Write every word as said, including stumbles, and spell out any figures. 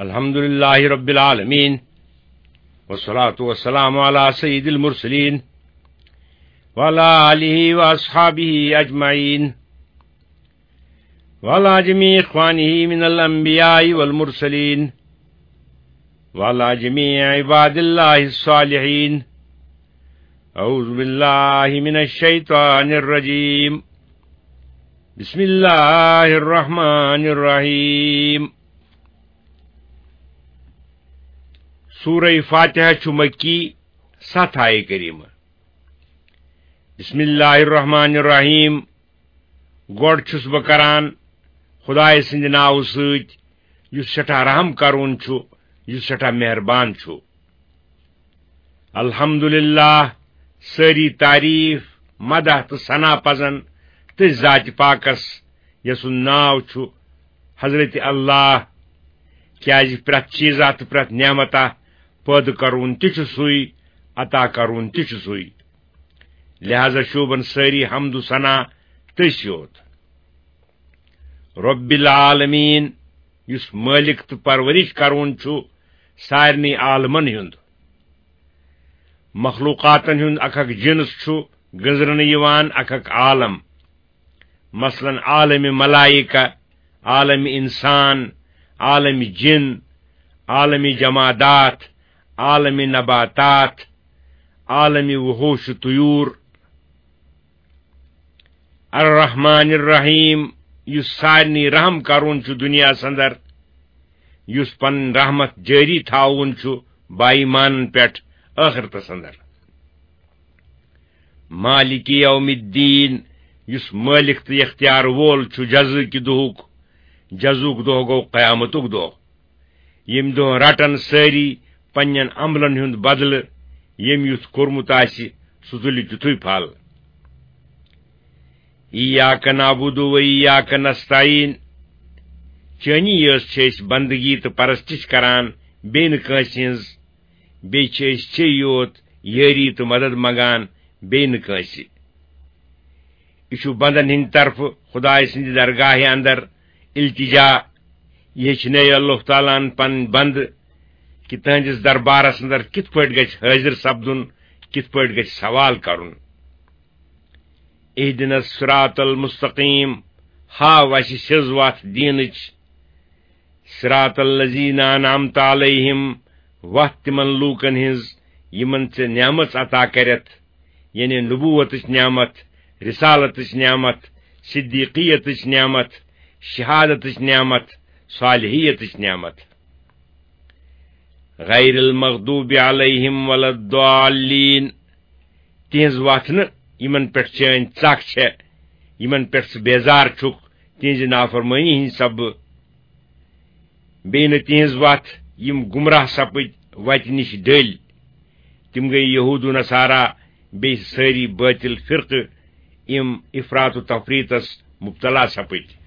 الحمد لله رب العالمين، والصلاة والسلام على سيد المرسلين، وعلى آله وأصحابه أجمعين، وعلى جميع إخوانه من الأنبياء والمرسلين، وعلى جميع عباد الله الصالحين. أعوذ بالله من الشيطان الرجيم. بسم الله الرحمن الرحيم. سورہ فاتحہ چھُ مکی، ستھ آیہِ کریمہ۔ بسم اللہ الرحمن الرحیم۔ گۄڈٕ چھُس بہٕ کران خدایہِ سٕنٛدِ ناوٕ سۭتۍ، یُس سٮ۪ٹھاہ رحم کرون چھُ، یُس سٮ۪ٹھاہ مہربان چھُ۔ الحمدللہ، سٲری تعریف، مدح تہٕ ثنا پزن تٔتھۍ ذاتِ پاکس، یسُنٛد ناو چھُ حضرت اللہ، کیازِ پرٛٮ۪تھ چیٖزا تہٕ پرٛٮ۪تھ نعمتا پٲدٕ کرون تہِ چھُ سُے، عطا کرون تہِ چھُ سُے۔ لہذا شوٗبن سٲری حمد و ثنا تٔسۍ یوت۔ رب العالمین، یُس مٲلِک تہٕ پرورش کرون چھُ سارنٕے عالمن ہُنٛد۔ مخلوقاتن ہُنٛد اکھ اکھ جنس چھُ گٔنزرنہٕ یِوان اکھ اکھ عالم۔ مثلاً عالم ملائکہ، عالم انسان، عالم جن، عالم جمادات، عالم نباتات، عالم وحوش طیور۔ الرحمن الرحیم، یُس سارنٕے رحم کرون چھُ دُنیاہس اندر، یُس پنٕنۍ رحمت جٲری تھاوون چھُ بایمانن پٮ۪ٹھ ٲخرتس اندر۔ مالک یوم الدین، یُس مٲلِک تہٕ اختیار وول چھُ جزاکہِ دۄہُک، جزاہُک دۄہ گوٚو قیامتُک دۄہ۔ ییٚمہِ دۄہ رٹن سٲری پننٮ۪ن عملن ہُنٛد بدلہٕ، ییٚمۍ یُتھ کوٚرمُت آسہِ، سُہ تُلہِ تیُتھُے پھل۔ ایاک نعبد و ایاک نستعین، چٲنی یٲژ چھِ أسۍ بندگی تہٕ پرستش کران، بیٚیہِ نہٕ کٲنٛسہِ ہٕنٛز۔ بیٚیہِ چھِ أسۍ ژے یوت یٲری تہٕ مدد منگان، بیٚیہِ نہٕ کٲنٛسہِ۔ یہِ چھُ بندن ہٕنٛدِ طرفہٕ خدایہِ سٕنٛدِ درگاہہِ اندر التجا۔ یہِ ہیٚچھنٲیِو اللہ تعالیٰ ہن پنٕنۍ بندٕ کہِ تہنٛدِس دربارس اندر کِتھ پٲٹھۍ گژھِ حٲضِر سپدُن، کِتھ پٲٹھۍ گژھِ سوال کرُن۔ اہدنا الصراط المستقیم، ہاو اسہِ سیٚز وتھ دیٖنٕچ۔ صراط الذین انعمت علیہم، وتھ تِمن لوٗکن ہٕنٛز یِمن ژےٚ نعمت عطا کرتھ، یعنی نبوتٕچ نعمت، رسالتٕچ نعمت، صدیقیتٕچ نعمت، شہادتٕچ نعمت، صالحیتٕچ نعمت۔ غیر المغضوب علیہم ولا الضالین، تِہنٛز وتھ نہٕ یِمن پٮ۪ٹھ چٲنۍ ژکھ چھےٚ، یِمن پٮ۪ٹھ ژٕ بیزار چھُکھ، تِہنٛزِ نافرمٲنی ہٕنٛدِ سببہٕ۔ بیٚیہِ نہٕ تِہنٛز وتھ یِم گمراہ سپٕدۍ وتہِ نِش ڈٔلۍ۔ تِم گٔے یہود و نصارا، بیٚیہِ سٲری بٲطِل فرقہٕ، یِم افراط و تفریطس مبتلا سپٕدۍ۔